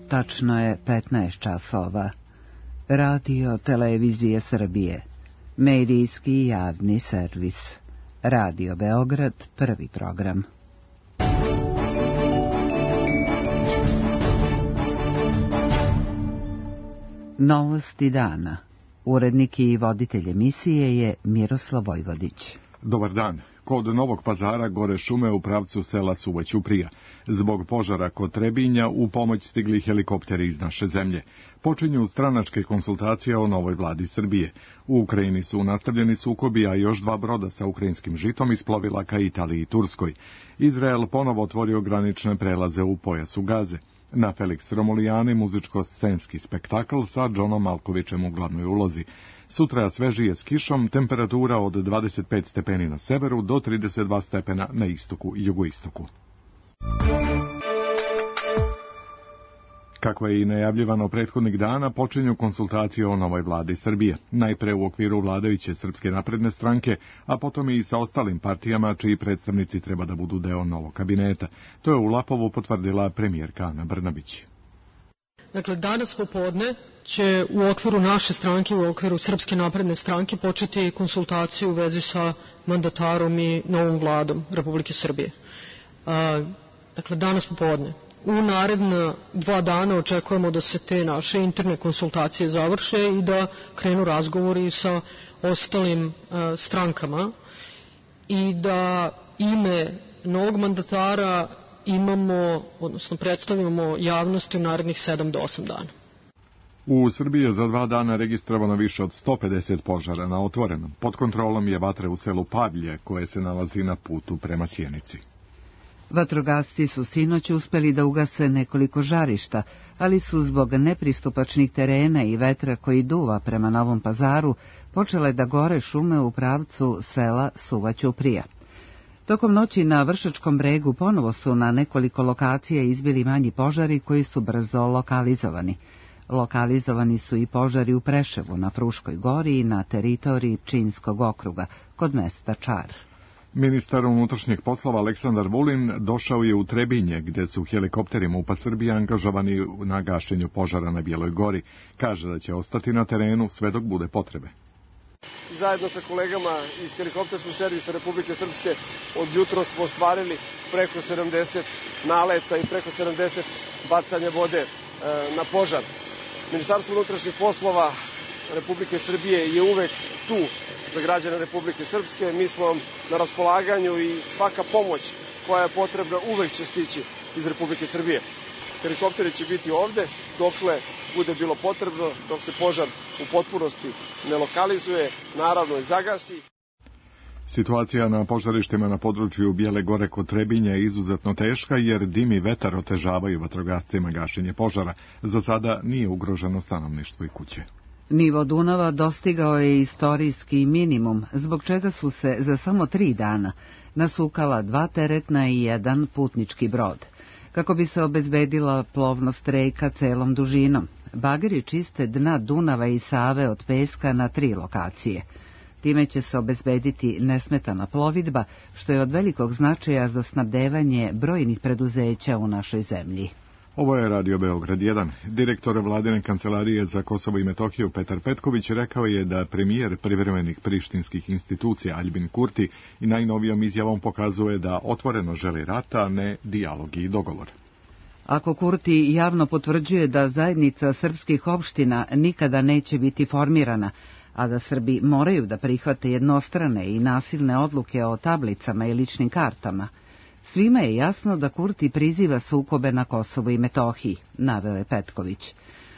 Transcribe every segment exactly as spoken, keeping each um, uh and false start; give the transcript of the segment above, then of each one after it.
Tačno je petnaest časova. Radio Televizije Srbije. Medijski javni servis. Radio Beograd, prvi program. Novosti dana. Urednik i voditelj emisije je Miroslav Vojvodić. Dobar dan. Kod Novog Pazara gore šume u pravcu sela Suva Ćuprija. Zbog požara kod Trebinja u pomoć stigli helikopteri iz naše zemlje. Počinju stranačke konsultacije o novoj vladi Srbije. U Ukrajini su nastavljeni sukobi, a još dva broda sa ukrajinskim žitom isplovila ka Italiji i Turskoj. Izrael ponovo otvorio granične prelaze u pojasu Gaze. Na Felix Romulijani muzičko-scenski spektakl sa Džonom Malkovićem u glavnoj ulozi. Sutra svežije s kišom, temperatura od dvadeset pet stepeni na severu do trideset dva stepena na istoku i jugoistoku. Kako je i najavljivano prethodnih dana, počinju konsultacije o novoj vladi Srbije. Najpre u okviru vladajuće Srpske napredne stranke, a potom i sa ostalim partijama čiji predstavnici treba da budu deo novog kabineta. To je u Lapovu potvrdila premijerka Ana Brnabić. Dakle, danas popodne će u okviru naše stranke, u okviru Srpske napredne stranke početi konsultacije u vezi sa mandatarom i novom vladom Republike Srbije. A, dakle, danas popodne. U naredna dva dana očekujemo da se te naše interne konsultacije završe i da krenu razgovori sa ostalim a, strankama i da ime novog mandatara imamo, odnosno predstavimo javnosti u narednih sedam do osam dana. U Srbiji je za dva dana registrovano više od sto pedeset požara na otvorenom. Pod kontrolom je vatre u selu Pavlje, koje se nalazi na putu prema Sjenici. Vatrogasci su sinoć uspeli da ugase nekoliko žarišta, ali su zbog nepristupačnih terena i vetra koji duva prema Novom Pazaru počele da gore šume u pravcu sela Suva Ćuprija. Tokom noći na Vršačkom bregu ponovo su na nekoliko lokacija izbili manji požari koji su brzo lokalizovani. Lokalizovani su i požari u Preševu, na Fruškoj gori i na teritoriji Pčinjskog okruga, kod mesta Čar. Ministar unutrašnjih poslova Aleksandar Vulin došao je u Trebinje, gde su helikopteri MUP-a Srbije angažovani na gašenju požara na Bijeloj gori. Kaže da će ostati na terenu sve dok bude potrebe. Zajedno sa kolegama iz helikopterskog servisa Republike Srpske od jutro smo ostvarili preko sedamdeset naleta i preko sedamdeset bacanja vode e, na požar. Ministarstvo unutrašnjih poslova Republike Srbije je uvek tu za građane Republike Srpske. Mi smo na raspolaganju i svaka pomoć koja je potrebna uvek će stići iz Republike Srbije. Helikopteri će biti ovde dokle bude bilo potrebno, dok se požar u potpunosti ne lokalizuje, naravno i zagasi. Situacija na požarištima na području Bijele gore kod Trebinja je izuzetno teška, jer dim i vetar otežavaju vatrogascima gašenje požara. Za sada nije ugroženo stanovništvo i kuće. Nivo Dunava dostigao je istorijski minimum, zbog čega su se za samo tri dana nasukala dva teretna i jedan putnički brod. Kako bi se obezbedila plovnost reka celom dužinom, bageri čiste dna Dunava i Save od peska na tri lokacije. Time će se obezbediti nesmetana plovidba, što je od velikog značaja za snabdevanje brojnih preduzeća u našoj zemlji. Ovo je Radio Beograd jedan. Direktor vladine kancelarije za Kosovo i Metohiju Petar Petković rekao je da premijer privremenih prištinskih institucija Aljbin Kurti i najnovijom izjavom pokazuje da otvoreno želi rata, a ne dijalog i dogovor. Ako Kurti javno potvrđuje da zajednica srpskih opština nikada neće biti formirana, a da Srbi moraju da prihvate jednostrane i nasilne odluke o tablicama i ličnim kartama, svima je jasno da Kurti priziva sukobe na Kosovu i Metohiji, naveo je Petković.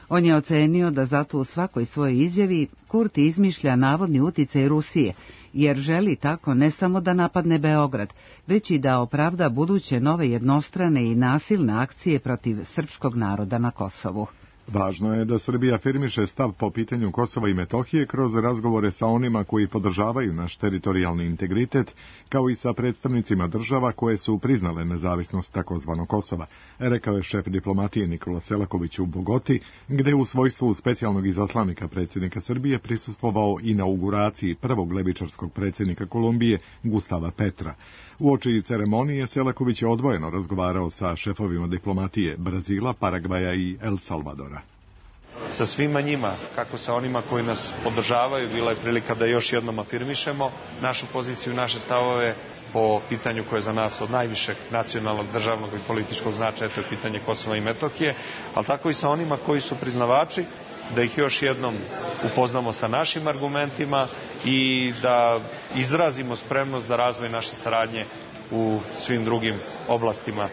On je ocenio da zato u svakoj svojoj izjavi Kurti izmišlja navodni uticaj Rusije, jer želi tako ne samo da napadne Beograd, već i da opravda buduće nove jednostrane i nasilne akcije protiv srpskog naroda na Kosovu. Važno je da Srbija afirmiše stav po pitanju Kosova i Metohije kroz razgovore sa onima koji podržavaju naš teritorijalni integritet, kao i sa predstavnicima država koje su priznale nezavisnost takozvanog Kosova, rekao je šef diplomatije Nikola Selaković u Bogoti, gde u svojstvu specijalnog izaslanika predsjednika Srbije prisustvovao inauguraciji prvog levičarskog predsjednika Kolumbije, Gustava Petra. Uoči ceremonije Selaković je odvojeno razgovarao sa šefovima diplomatije Brazila, Paragvaja i El Salvadora. Sa svima njima, kako sa onima koji nas podržavaju, bila je prilika da još jednom afirmišemo našu poziciju, naše stavove po pitanju koje je za nas od najvišeg nacionalnog, državnog i političkog značaja, to je pitanje Kosova i Metohije, ali tako i sa onima koji su priznavači, da ih još jednom upoznamo sa našim argumentima i da izrazimo spremnost za razvoj naše saradnje u svim drugim oblastima.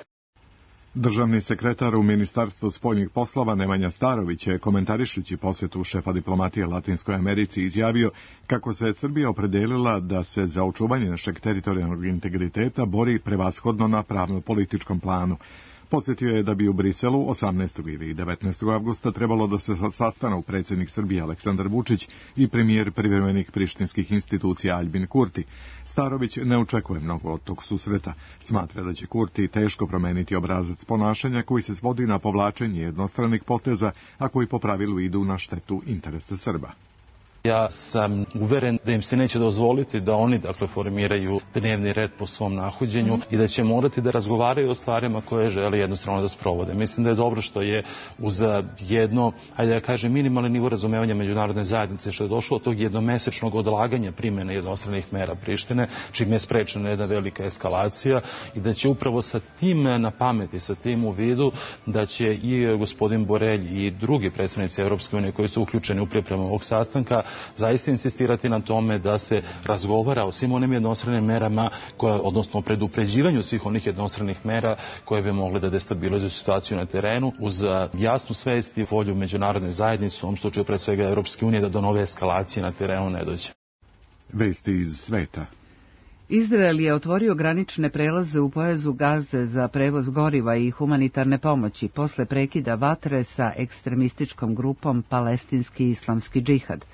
Državni sekretar u Ministarstvu spoljnih poslova Nemanja Starović je, komentarišući posjetu šefa diplomatije Latinskoj Americi, izjavio kako se Srbija opredelila da se za očuvanje našeg teritorijalnog integriteta bori prevashodno na pravno-političkom planu. Podsjetio je da bi u Briselu osamnaestog ili devetnaestog avgusta trebalo da se sastanu predsjednik Srbije Aleksandar Vučić i premijer privremenih prištinskih institucija Aljbin Kurti. Starović ne očekuje mnogo od tog susreta. Smatra da će Kurti teško promeniti obrazac ponašanja koji se svodi na povlačenje jednostranih poteza, a koji po pravilu idu na štetu interesa Srba. Ja sam uveren da im se neće dozvoliti da oni dakle formiraju dnevni red po svom nahođenju i da će morati da razgovaraju o stvarima koje žele jednostavno da sprovode. Mislim da je dobro što je uz jedno, ajde da kažem, minimalni nivo razumevanja međunarodne zajednice, što je došlo od tog jednomesečnog odlaganja primjene jednostranih mera Prištine, čim je sprečena jedna velika eskalacija i da će upravo sa tim na pameti, sa tim u vidu, da će i gospodin Borelj i drugi predstavnici Europske unije koji su uključeni u pripremu ovog sastanka zaista insistirati na tome da se razgovara o svim onim jednostranim merama, koje, odnosno o predupređivanju svih onih jednostranih mera koje bi mogle da destabilizuju situaciju na terenu, uz jasnu svest i volju međunarodne zajednice, u ovom slučaju pre svega Europske unije, da do nove eskalacije na terenu ne dođe. Vesti iz sveta. Izrael je otvorio granične prelaze u pojasu Gaze za prevoz goriva i humanitarne pomoći posle prekida vatre sa ekstremističkom grupom Palestinski islamski džihad,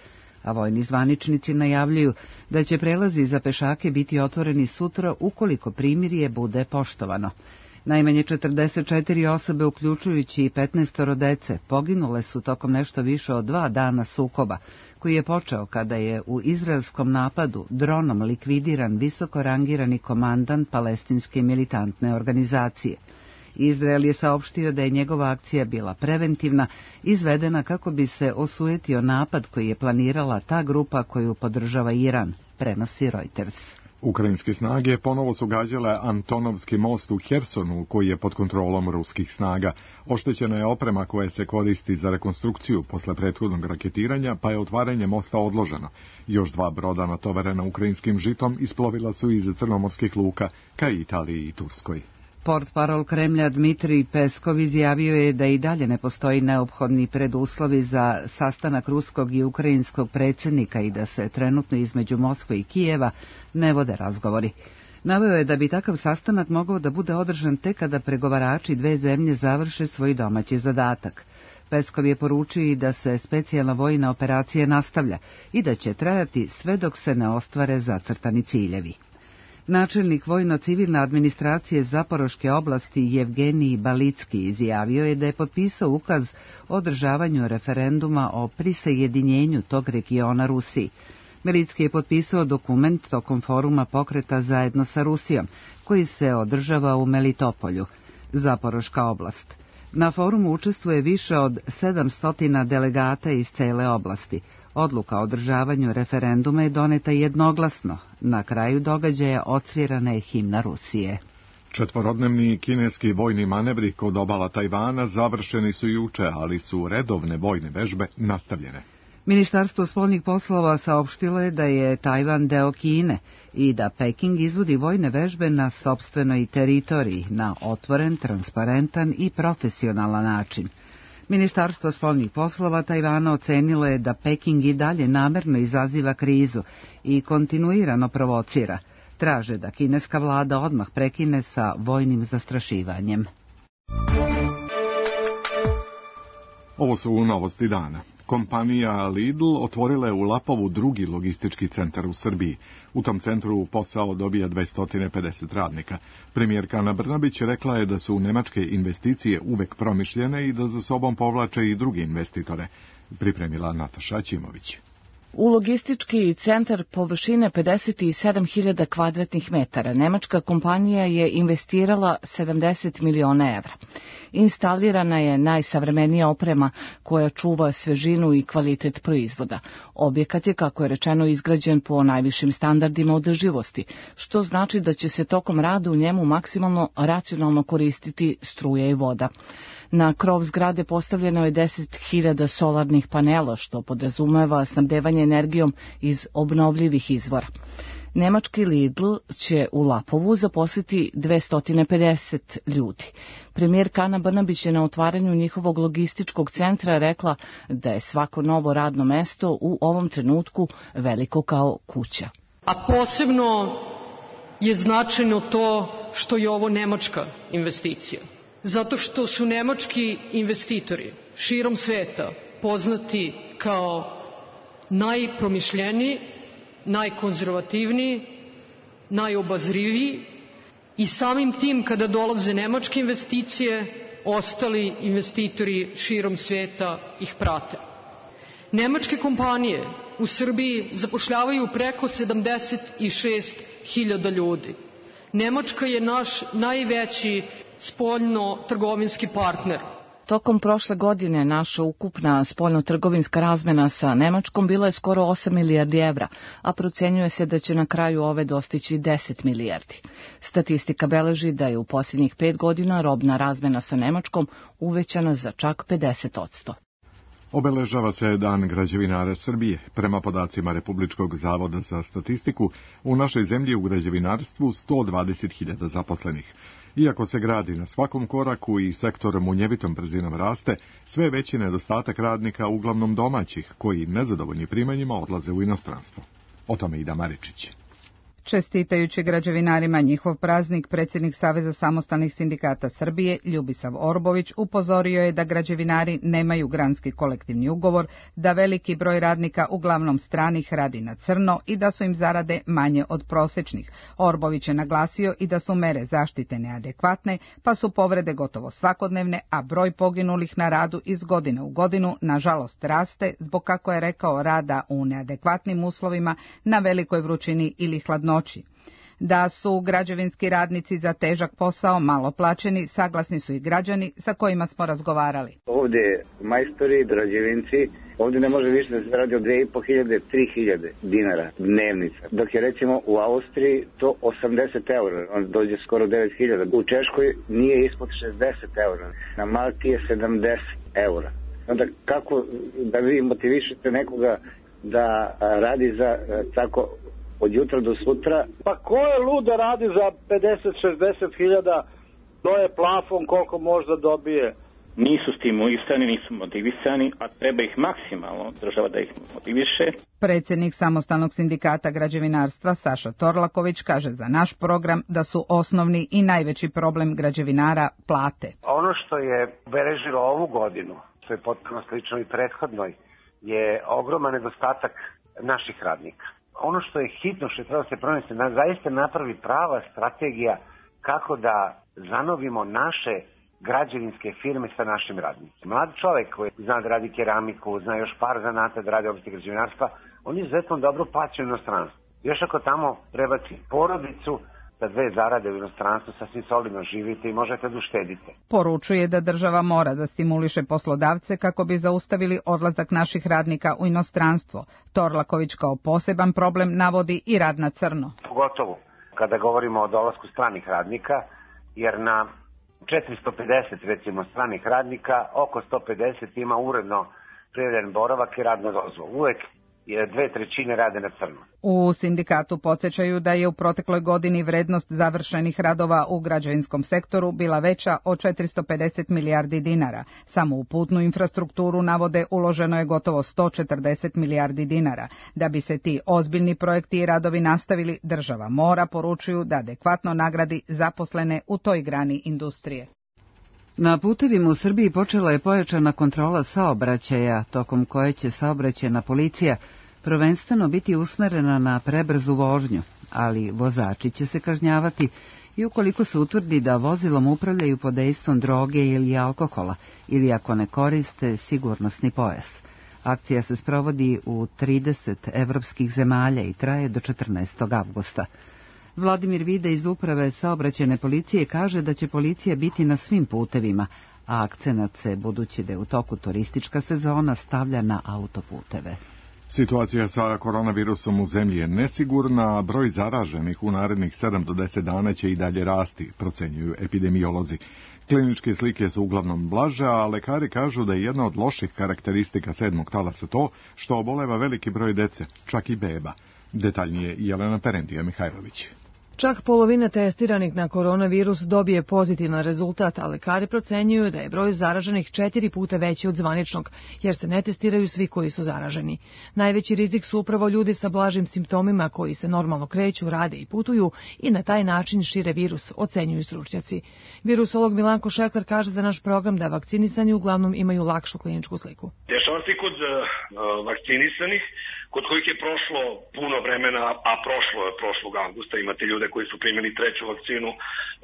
a vojni zvaničnici najavljuju da će prelazi za pešake biti otvoreni sutra ukoliko primirje bude poštovano. Najmanje četrdeset četiri osobe, uključujući i petnaestoro dece, poginule su tokom nešto više od dva dana sukoba, koji je počeo kada je u izraelskom napadu dronom likvidiran visoko rangirani komandant palestinske militantne organizacije. Izrael je saopštio da je njegova akcija bila preventivna, izvedena kako bi se osujetio napad koji je planirala ta grupa koju podržava Iran, prenosi Reuters. Ukrajinske snage ponovo su gađale Antonovski most u Hersonu, koji je pod kontrolom ruskih snaga. Oštećena je oprema koja se koristi za rekonstrukciju posle prethodnog raketiranja, pa je otvaranje mosta odloženo. Još dva broda natovarena ukrajinskim žitom isplovila su iz crnomorskih luka ka Italiji i Turskoj. Portparol Kremlja Dmitrij Peskov izjavio je da i dalje ne postoji neophodni preduslovi za sastanak ruskog i ukrajinskog predsjednika i da se trenutno između Moskve i Kijeva ne vode razgovori. Naveo je da bi takav sastanak mogao da bude održan tek kada pregovarači dve zemlje završe svoj domaći zadatak. Peskov je poručio i da se specijalna vojna operacija nastavlja i da će trajati sve dok se ne ostvare zacrtani ciljevi. Načelnik vojno-civilne administracije Zaporoške oblasti Jevgenij Balicki izjavio je da je potpisao ukaz o održavanju referenduma o prisajedinjenju tog regiona Rusiji. Balicki je potpisao dokument tokom foruma pokreta zajedno sa Rusijom, koji se održava u Melitopolju, Zaporoška oblast. Na forumu učestvuje više od sedamsto delegata iz cele oblasti. Odluka o održavanju referenduma je doneta jednoglasno. Na kraju događaja odsvirana je himna Rusije. Četvorodnevni kineski vojni manevri kod obala Tajvana završeni su juče, ali su redovne vojne vežbe nastavljene. Ministarstvo spoljnih poslova saopštilo je da je Tajvan deo Kine i da Peking izvodi vojne vežbe na sopstvenoj teritoriji na otvoren, transparentan i profesionalan način. Ministarstvo spoljnih poslova Tajvana ocenilo je da Peking i dalje namerno izaziva krizu i kontinuirano provocira. Traže da kineska vlada odmah prekine sa vojnim zastrašivanjem. Ovo su novosti dana. Kompanija Lidl otvorila je u Lapovu drugi logistički centar u Srbiji. U tom centru posao dobija dvesta pedeset radnika. Premijerka Ana Brnabić rekla je da su nemačke investicije uvek promišljene i da za sobom povlače i druge investitore. Pripremila Nataša Ćimović. U logistički centar površine pedeset sedam hiljada kvadratnih metara nemačka kompanija je investirala sedamdeset miliona evra. Instalirana je najsavremenija oprema koja čuva svežinu i kvalitet proizvoda. Objekat je, kako je rečeno, izgrađen po najvišim standardima održivosti, što znači da će se tokom rada u njemu maksimalno racionalno koristiti struja i voda. Na krov zgrade postavljeno je deset hiljada solarnih panela, što podrazumeva snabdevanje energijom iz obnovljivih izvora. Nemački Lidl će u Lapovu zaposliti dvesta pedeset ljudi. Premijerka Ana Brnabić je na otvaranju njihovog logističkog centra rekla da je svako novo radno mesto u ovom trenutku veliko kao kuća. A posebno je značajno to što je ovo nemačka investicija. Zato što su nemački investitori širom sveta poznati kao najpromišljeniji, najkonzervativniji, najobazriviji i samim tim kada dolaze nemačke investicije, ostali investitori širom sveta ih prate. Nemačke kompanije u Srbiji zapošljavaju preko sedamdeset šest hiljada ljudi. Nemačka je naš najveći spoljno-trgovinski partner. Tokom prošle godine naša ukupna spoljno-trgovinska razmena sa Nemačkom bila je skoro osam milijardi evra, a procenjuje se da će na kraju ove dostići deset milijardi. Statistika beleži da je u posljednjih pet godina robna razmena sa Nemačkom uvećana za čak pedeset posto. Obeležava se Dan građevinara Srbije. Prema podacima Republičkog zavoda za statistiku, u našoj zemlji u građevinarstvu sto dvadeset hiljada zaposlenih. Iako se gradi na svakom koraku i sektor munjevitom brzinom raste, sve veći nedostatak radnika, uglavnom domaćih, koji nezadovoljni primanjima odlaze u inostranstvo. O tome Ida Maričić. Čestitajući građevinarima njihov praznik, predsjednik Saveza samostalnih sindikata Srbije, Ljubisav Orbović, upozorio je da građevinari nemaju granski kolektivni ugovor, da veliki broj radnika, uglavnom stranih, radi na crno i da su im zarade manje od prosječnih. Orbović je naglasio i da su mere zaštite neadekvatne, pa su povrede gotovo svakodnevne, a broj poginulih na radu iz godine u godinu nažalost raste zbog, kako je rekao, rada u neadekvatnim uslovima, na velikoj vrućini ili hladnoći. Da su građevinski radnici za težak posao malo plaćeni, saglasni su i građani sa kojima smo razgovarali. Ovdje majstori, građevinci, ovdje ne može više da se radi od dve i po hiljade, tri hiljade dinara dnevnica. Dok je recimo u Austriji to osamdeset eura, on dođe skoro devet hiljada. U Češkoj nije ispod šezdeset eura, na Malti je sedamdeset eura. Onda kako da vi motivišete nekoga da radi za tako od jutra do sutra? Pa ko je lud da radi za pedeset šezdeset hiljada, to je plafon koliko možda dobije. Nisu stimulisani, nisu motivisani, a treba ih maksimalno država da ih motiviše. Predsjednik Samostalnog sindikata građevinarstva Saša Torlaković kaže za naš program da su osnovni i najveći problem građevinara plate. Ono što je obeležilo ovu godinu, što je potpuno slično i prethodnoj, je ogroman nedostatak naših radnika. Ono što je hitno, što je treba se pronesti, da zaista napravi prava strategija kako da zanovimo naše građevinske firme sa našim radnicima. Mlad čovjek koji zna da radi keramiku, zna još par zanata da radi oblasti građevinarstva, on je izuzetno dobro plaćen u inostranstvu. Još ako tamo prebaci porodicu, da dve zarade u inostranstvu sasvim solidno živite i možete da uštedite. Poručuje da država mora da stimuliše poslodavce kako bi zaustavili odlazak naših radnika u inostranstvo. Torlaković kao poseban problem navodi i rad na crno. Pogotovo kada govorimo o dolasku stranih radnika, jer na četiristo pedeset recimo stranih radnika, oko sto pedeset ima uredno prijavljen boravak i radna dozvola. Uvek je dve trećine rade na crno. U sindikatu podsjećaju da je u protekloj godini vrednost završenih radova u građevinskom sektoru bila veća od četiristo pedeset milijardi dinara. Samo u putnu infrastrukturu, navode, uloženo je gotovo sto četrdeset milijardi dinara. Da bi se ti ozbiljni projekti i radovi nastavili, država mora, poručuju, da adekvatno nagradi zaposlene u toj grani industrije. Na putevima u Srbiji počela je pojačana kontrola saobraćaja, tokom koje će saobraćajna policija prvenstveno biti usmerena na prebrzu vožnju, ali vozači će se kažnjavati i ukoliko se utvrdi da vozilom upravljaju pod dejstvom droge ili alkohola, ili ako ne koriste sigurnosni pojas. Akcija se sprovodi u trideset evropskih zemalja i traje do četrnaestog avgusta. Vladimir Vida iz Uprave saobraćajne policije kaže da će policija biti na svim putevima, a akcenat se, budući da je u toku turistička sezona, stavlja na autoputeve. Situacija sa koronavirusom u zemlji je nesigurna, a broj zaraženih u narednih sedam do deset dana će i dalje rasti, procenjuju epidemiolozi. Kliničke slike su uglavnom blaže, a lekari kažu da je jedna od loših karakteristika sedmog talasa to što oboleva veliki broj dece, čak i beba. Detaljnije Jelena Perentija Mihajlović. Čak polovina testiranih na koronavirus dobije pozitivan rezultat, a lekari procenjuju da je broj zaraženih četiri puta veći od zvaničnog, jer se ne testiraju svi koji su zaraženi. Najveći rizik su upravo ljudi sa blažim simptomima koji se normalno kreću, rade i putuju i na taj način šire virus, ocenjuju stručnjaci. Virusolog Milanko Šekler kaže za naš program da vakcinisani uglavnom imaju lakšu kliničku sliku. Dešava se kod uh, vakcinisanih, kod kojih je prošlo puno vremena, a prošlo je prošlog avgusta, imate ljude koji su primili treću vakcinu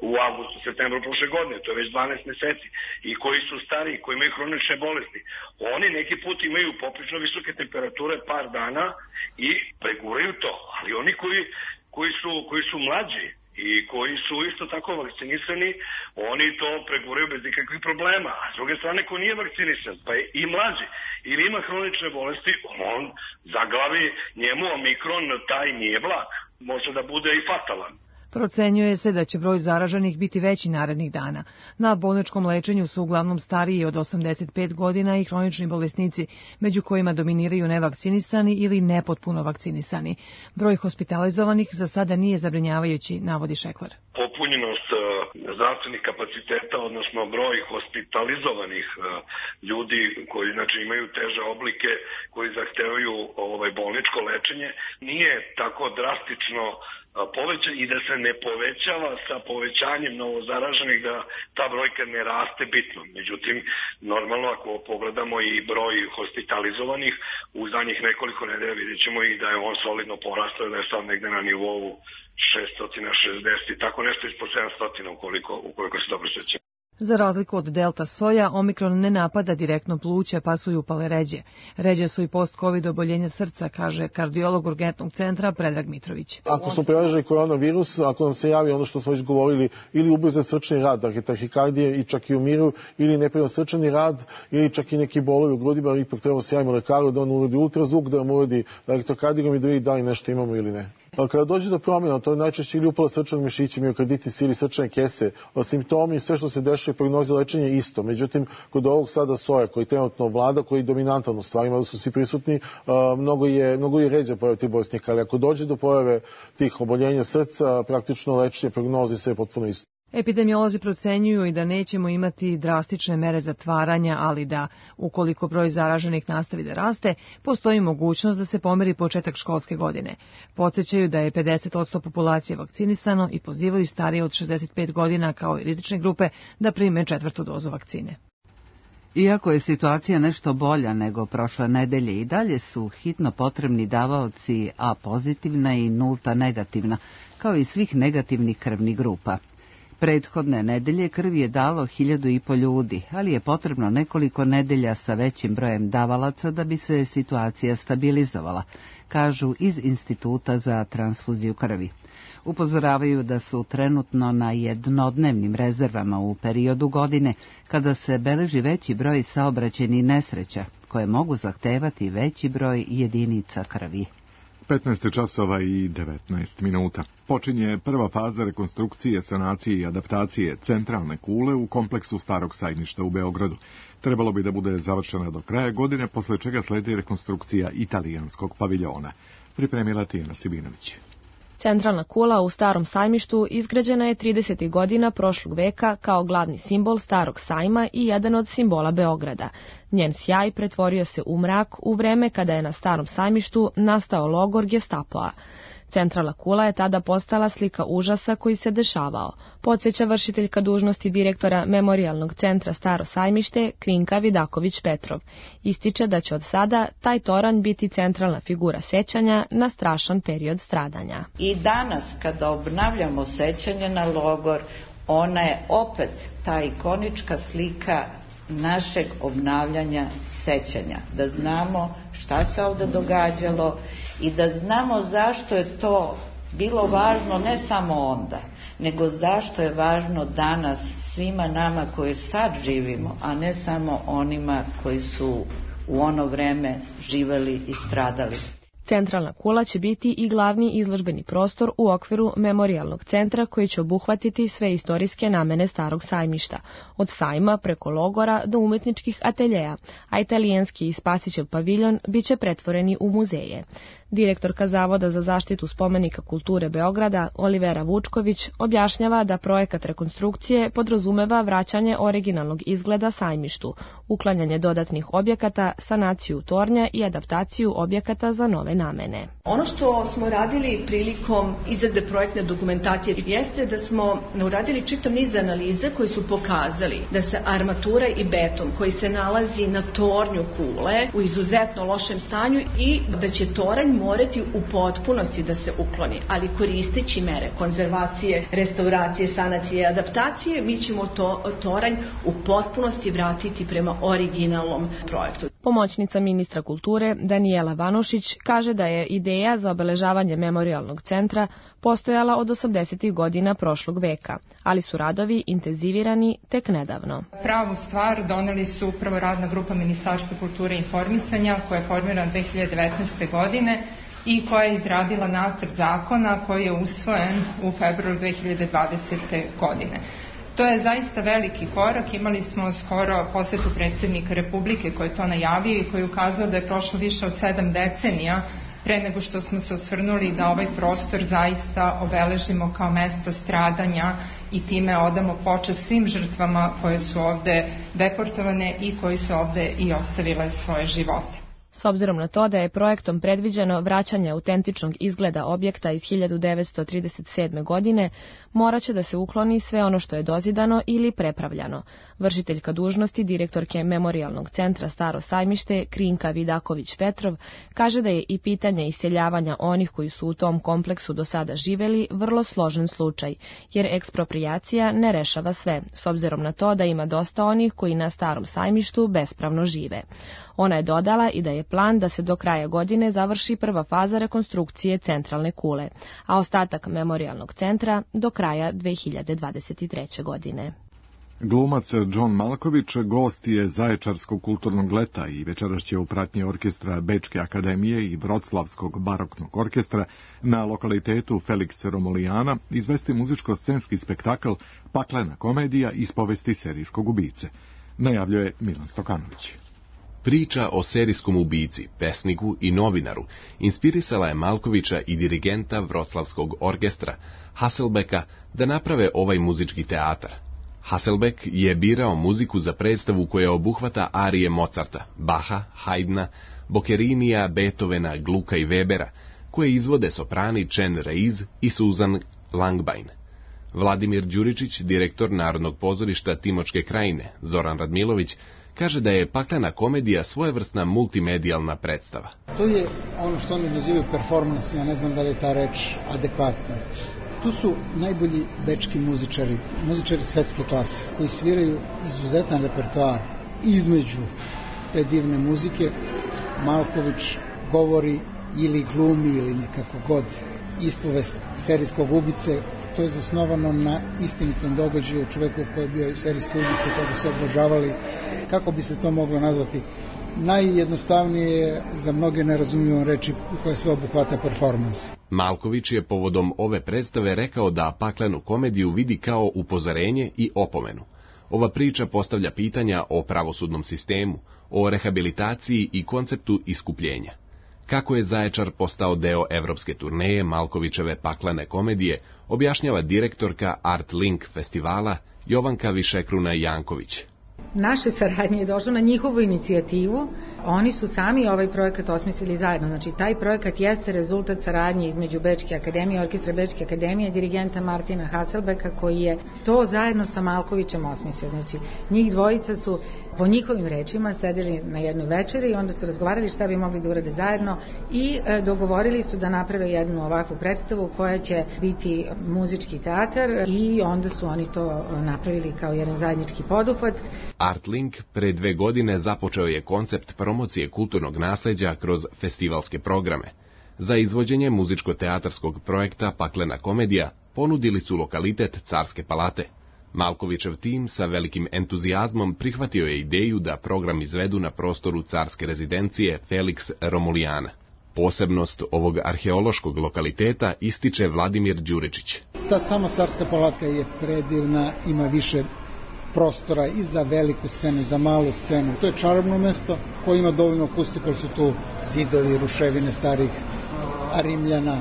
u avgustu, septembru prošle godine, to je već dvanaest meseci, i koji su stariji, koji imaju hronične bolesti. Oni neki put imaju poprično visoke temperature par dana i preguraju to, ali oni koji, koji, su, koji su mlađi i koji su isto tako vakcinisani, oni to preguraju bez nikakvih problema. A s druge strane, ko nije vakcinisan, pa je i mlađi, ili ima hronične bolesti, on zaglavi, njemu omikron taj nije blag. Može da bude i fatalan. Procenjuje se da će broj zaraženih biti veći narednih dana. Na bolničkom lečenju su uglavnom stariji od osamdeset pet godina i hronični bolesnici, među kojima dominiraju nevakcinisani ili nepotpuno vakcinisani. Broj hospitalizovanih za sada nije zabrinjavajući, navodi Šekler. Popunjenost zdravstvenih kapaciteta, odnosno broj hospitalizovanih ljudi koji znači imaju teže oblike, koji zahtevaju ovaj bolničko lečenje, nije tako drastično povećan i da se ne povećava sa povećanjem novozaraženih, da ta brojka ne raste bitno. Međutim, normalno ako pogledamo i broj hospitalizovanih u zadnjih nekoliko nedelja, vidjet ćemo i da je on solidno porastao, da je sad negde na nivou šesto šezdeset, tako nešto ispod sedamsto ukoliko, ukoliko se dobro sećam. Za razliku od delta soja, omikron ne napada direktno pluća, pa su i upale ređe. Ređe su i post-covid oboljenja srca, kaže kardiolog urgentnog centra Predrag Mitrović. Ako smo prelažili koronavirus, ako nam se javi ono što smo već govorili, ili ubrzan srčani rad, dakle tahikardije i čak i umiru, ili neprirodan srčani rad, ili čak i neki bolovi u grudima, ipak treba se javimo lekaru da on uradi ultrazvuk, da nam uradi elektrokardiogram i da vidi da li nešto imamo ili ne. Kada dođe do promjena, to je najčešće ili upala srčanog mišića, miokarditis ili srčane kese, simptomi i sve što se dešava i prognoze lečenja je isto. Međutim, kod ovog sada soja koji trenutno vlada, koji je dominantan u stvarima, da su svi prisutni, mnogo je, mnogo je ređa pojave tih bolesnika, ali ako dođe do pojave tih oboljenja srca, praktično lečenje, prognoze sve je potpuno isto. Epidemiolozi procenjuju i da nećemo imati drastične mere zatvaranja, ali da, ukoliko broj zaraženih nastavi da raste, postoji mogućnost da se pomeri početak školske godine. Podsećaju da je pedeset posto populacije vakcinisano i pozivaju starije od šezdeset pet godina kao i rizične grupe da prime četvrtu dozu vakcine. Iako je situacija nešto bolja nego prošle nedelje, i dalje su hitno potrebni davaoci A pozitivna i nulta negativna, kao i svih negativnih krvnih grupa. Prethodne nedelje krv je dalo hiljadu i po ljudi, ali je potrebno nekoliko nedelja sa većim brojem davalaca da bi se situacija stabilizovala, kažu iz Instituta za transfuziju krvi. Upozoravaju da su trenutno na jednodnevnim rezervama u periodu godine kada se beleži veći broj saobraćajnih nesreća, koje mogu zahtevati veći broj jedinica krvi. petnaest časova i devetnaest minuta. Počinje prva faza rekonstrukcije, sanacije i adaptacije centralne kule u kompleksu Starog sajmišta u Beogradu. Trebalo bi da bude završena do kraja godine, posle čega sledi rekonstrukcija italijanskog paviljona. Pripremila Tijana Sibinović. Centralna kula u Starom sajmištu izgrađena je tridesetih godina prošlog veka kao glavni simbol Starog sajma i jedan od simbola Beograda. Njen sjaj pretvorio se u mrak u vreme kada je na Starom sajmištu nastao logor Gestapoa. Centralna kula je tada postala slika užasa koji se dešavao, podsjeća vršiteljka dužnosti direktora Memorijalnog centra Staro Sajmište Krinka Vidaković-Petrov. Ističe da će od sada taj toranj biti centralna figura sećanja na strašan period stradanja. I danas kada obnavljamo sećanje na logor, ona je opet ta ikonička slika našeg obnavljanja sećanja. Da znamo šta se ovde događalo i da znamo zašto je to bilo važno ne samo onda, nego zašto je važno danas svima nama koji sad živimo, a ne samo onima koji su u ono vreme živeli i stradali. Centralna kula će biti i glavni izložbeni prostor u okviru Memorijalnog centra koji će obuhvatiti sve istorijske namene Starog Sajmišta, od sajma preko logora do umetničkih ateljeja, a italijanski i Spasićev paviljon biće pretvoreni u muzeje. Direktorka Zavoda za zaštitu spomenika kulture Beograda, Olivera Vučković, objašnjava da projekat rekonstrukcije podrazumeva vraćanje originalnog izgleda sajmištu, uklanjanje dodatnih objekata, sanaciju tornja i adaptaciju objekata za nove namene. Ono što smo radili prilikom izrade projektne dokumentacije jeste da smo uradili čitav niz analiza koji su pokazali da se armatura i beton koji se nalazi na tornju kule u izuzetno lošem stanju i da će toranj morati u potpunosti da se ukloni, ali koristeći mere konzervacije, restauracije, sanacije i adaptacije, mi ćemo to toranj u potpunosti vratiti prema originalnom projektu. Pomoćnica ministra kulture Danijela Vanušić kaže da je ideja za obeležavanje memorijalnog centra postojala od osamdesetih godina prošlog veka, ali su radovi intenzivirani tek nedavno. Pravu stvar doneli su upravo radna grupa Ministarstva kulture i informisanja koja je formirana dve hiljade devetnaeste. godine i koja je izradila nacrt zakona koji je usvojen u februaru dve hiljade dvadesete. godine. To je zaista veliki korak. Imali smo skoro posetu predsjednika Republike koji je to najavio i koji je ukazao da je prošlo više od sedam decenija pre nego što smo se osvrnuli da ovaj prostor zaista obeležimo kao mesto stradanja i time odamo počast svim žrtvama koje su ovde deportovane i koji su ovde i ostavile svoje živote. S obzirom na to da je projektom predviđeno vraćanje autentičnog izgleda objekta iz hiljadu devetsto trideset sedme. godine, morat će da se ukloni sve ono što je dozidano ili prepravljano. Vršiteljka dužnosti direktorke Memorijalnog centra Staro Sajmište Krinka Vidaković-Petrov kaže da je i pitanje iseljavanja onih koji su u tom kompleksu do sada živeli vrlo složen slučaj, jer eksproprijacija ne rešava sve, s obzirom na to da ima dosta onih koji na Starom Sajmištu bespravno žive. Ona je dodala i da je plan da se do kraja godine završi prva faza rekonstrukcije centralne kule, a ostatak Memorijalnog centra do kraja dve hiljade dvadeset treće. godine. Glumac John Malković gost je Zaječarskog kulturnog leta i večeras će u pratnji orkestra Bečke akademije i Vroclavskog baroknog orkestra na lokalitetu Felix Romulijana izvesti muzičko-scenski spektakl Paklena komedija iz povesti serijskog ubice. Najavljuje Milan Stokanović. Priča o serijskom ubici, pesniku i novinaru inspirisala je Malkovića i dirigenta Vroclavskog orkestra Hasselbecka da naprave ovaj muzički teatar. Hasselbeck je birao muziku za predstavu koja obuhvata arije Mozarta, Bacha, Haydna, Boccerinija, Beethovena, Glucka i Webera, koje izvode soprani Chen Reiz i Susan Langbein. Vladimir Đuričić, direktor Narodnog pozorišta Timočke krajine, Zoran Radmilović, kaže da je Paklena komedija svojevrsna multimedijalna predstava. To je ono što oni nazivaju performans, ja ne znam da li je ta reč adekvatna. Tu su najbolji bečki muzičari, muzičari svetske klase, koji sviraju izuzetan repertoar. Između te divne muzike Malković govori ili glumi ili nekako god ispovest serijskog ubice. To je zasnovano na istinitom događaju čoveku koji je bio serijski ubica, koga su obožavali. Kako bi se to moglo nazvati? Najjednostavnije je za mnoge nerazumljivom reči koja sve obuhvata performans. Malković je povodom ove predstave rekao da Paklenu komediju vidi kao upozorenje i opomenu. Ova priča postavlja pitanja o pravosudnom sistemu, o rehabilitaciji i konceptu iskupljenja. Kako je Zaječar postao deo evropske turneje Malkovićeve Paklene komedije, objašnjava direktorka Art Link festivala Jovanka Višekruna Janković. naše saradnje je došlo na njihovu inicijativu. Oni su sami ovaj projekat osmislili zajedno. Znači, taj projekat jeste rezultat saradnje između Bečke akademije, orkestra Bečke akademije i dirigenta Martina Hasselbecka, koji je to zajedno sa Malkovićem osmislio. Znači, njih dvojica su po njihovim rečima sedeli na jednoj večeri i onda su razgovarali šta bi mogli da urade zajedno i e, dogovorili su da naprave jednu ovakvu predstavu koja će biti muzički teatar i onda su oni to napravili kao jedan zajednički poduhvat. Artlink pre dve godine započeo je koncept promocije kulturnog nasleđa kroz festivalske programe. Za izvođenje muzičko-teatarskog projekta Paklena komedija ponudili su lokalitet Carske palate. Malkovićev tim sa velikim entuzijazmom prihvatio je ideju da program izvedu na prostoru carske rezidencije Felix Romulijana. Posebnost ovog arheološkog lokaliteta ističe Vladimir Đuričić. Ta sama carska palatka je predivna, ima više prostora i za veliku scenu i za malu scenu. To je čarobno mesto koje ima dovoljno akustiku, jer su tu zidovi, ruševine starih Rimljana.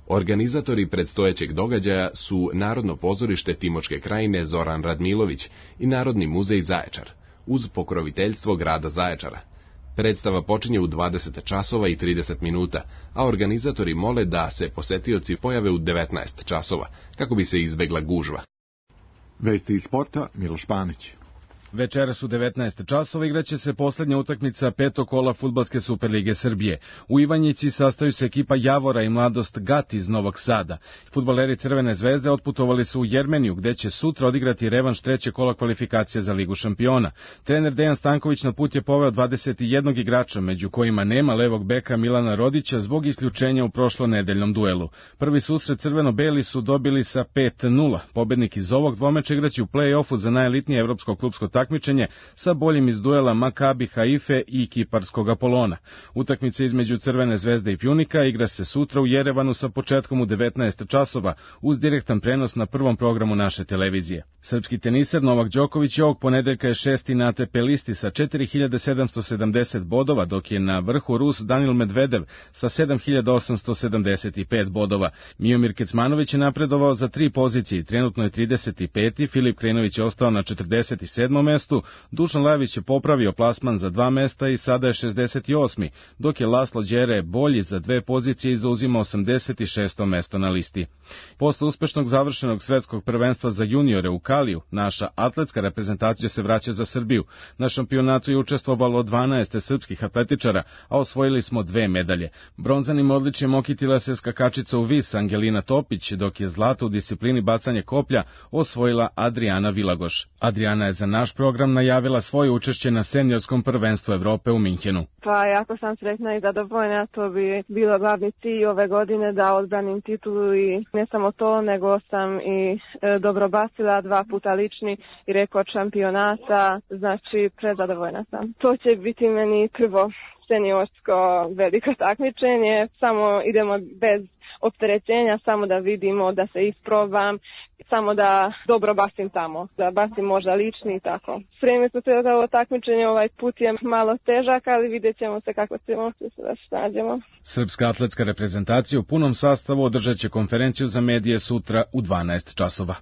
Organizatori predstojećeg događaja su Narodno pozorište Timočke krajine Zoran Radmilović i Narodni muzej Zaječar, uz pokroviteljstvo grada Zaječara. Predstava počinje u dvadeset časova i trideset minuta, a organizatori mole da se posetioci pojave u devetnaest časova, kako bi se izbegla gužva. Vesti iz sporta, Miloš Panić. Večeras u devetnaest časova igraće se poslednja utakmica petog kola Fudbalske Superlige Srbije. U Ivanjici sastaju se ekipa Javora i Mladost Gat iz Novog Sada. Fudbaleri Crvene zvezde otputovali su u Jermeniju, gde će sutra odigrati revanš treće kola kvalifikacije za Ligu šampiona. Trener Dejan Stanković na put je poveo dvadeset jedan igrača, među kojima nema levog beka Milana Rodića zbog isključenja u prošlonedeljnom duelu. Prvi susret crveno-beli su dobili sa pet nula. Pobednik iz ovog dvomeča igraće u play-offu za najelitnije evropsko klubsko takmičenje sa boljim iz duela Makabi Haife i Kiparskog Apolona. Utakmica između Crvene zvezde i Pjunika igra se sutra u Jerevanu sa početkom u devetnaest časova uz direktan prenos na prvom programu naše televizije. Srpski teniser Novak Đoković ovog ponedeljka je šesti na A T P listi sa četiri hiljade sedamsto sedamdeset bodova, dok je na vrhu Rus Danil Medvedev sa sedam hiljada osamsto sedamdeset pet bodova. Miomir Kecmanović je napredovao za tri pozicije, trenutno je trideset peti, Filip Krenović je ostao na četrdeset sedmom mestu, Dušan Lajović je popravio plasman za dva mesta i sada je šezdeset osmi, dok je Laslo Đere bolji za dve pozicije i zauzima osamdeset šesto mesto na listi. Posle uspešnog završenog svetskog prvenstva za juniore u Kaliju, naša atletska reprezentacija se vraća za Srbiju. Na šampionatu je učestvovalo dvanaest srpskih atletičara, a osvojili smo dve medalje. Bronzanim odličjem okitila se skakačica u vis Angelina Topić, dok je zlato u disciplini bacanje koplja osvojila Adriana Vilagoš. Adriana je za naš program najavila svoje učešće na seniorskom prvenstvu Evrope u Minhenu. Pa jako sam sretna i zadovoljna, to bi bilo glavni cilj ove godine da odbranim titulu i ne samo to, nego sam i e, dobro bacila dva puta lični i rekord šampionata, znači prezadovoljna sam. To će biti meni prvo seniorsko veliko takmičenje, samo idemo bez opterećenja, samo da vidimo, da se isprobam, samo da dobro bacim tamo, da bacim možda lični i tako. Spremili smo se za ovo takmičenje, ovaj put je malo težak, ali vidjet ćemo se kako ćemo se snađemo. Srpska atletska reprezentacija u punom sastavu održat će konferenciju za medije sutra u dvanaest časova.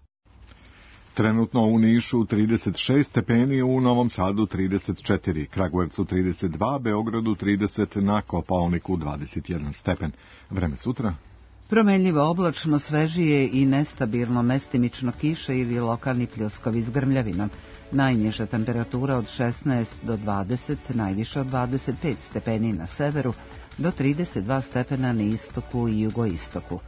Trenutno u Nišu trideset šest stepeni, u Novom Sadu trideset četiri, Kragujevcu trideset dva, Beogradu trideset, na Kopaoniku dvadeset jedan stepen. Vreme sutra? Promenljivo oblačno, svežije i nestabilno, mestimično kiše ili lokalni pljuskovi s grmljavinom. Najniža temperatura od šesnaest do dvadeset, najviše od dvadeset pet stepeni na severu, do trideset dva stepena na istoku i jugoistoku.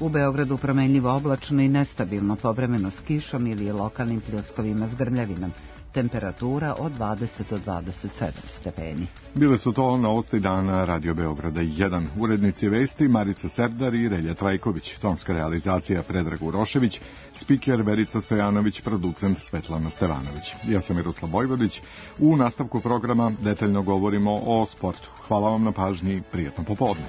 U Beogradu promenljivo oblačno i nestabilno, povremeno s kišom ili lokalnim pljuskovima s grmljavinom. Temperatura od dvadeset do dvadeset sedam stepeni. Bile su to novosti dana Radio Beograda jedan. Urednici vesti Marica Serdar i Relja Trajković. Tonska realizacija Predrag Urošević, spiker Verica Stojanović, producent Svetlana Stevanović. Ja sam Miroslav Vojvodić. U nastavku programa detaljno govorimo o sportu. Hvala vam na pažnji, prijatno popodne.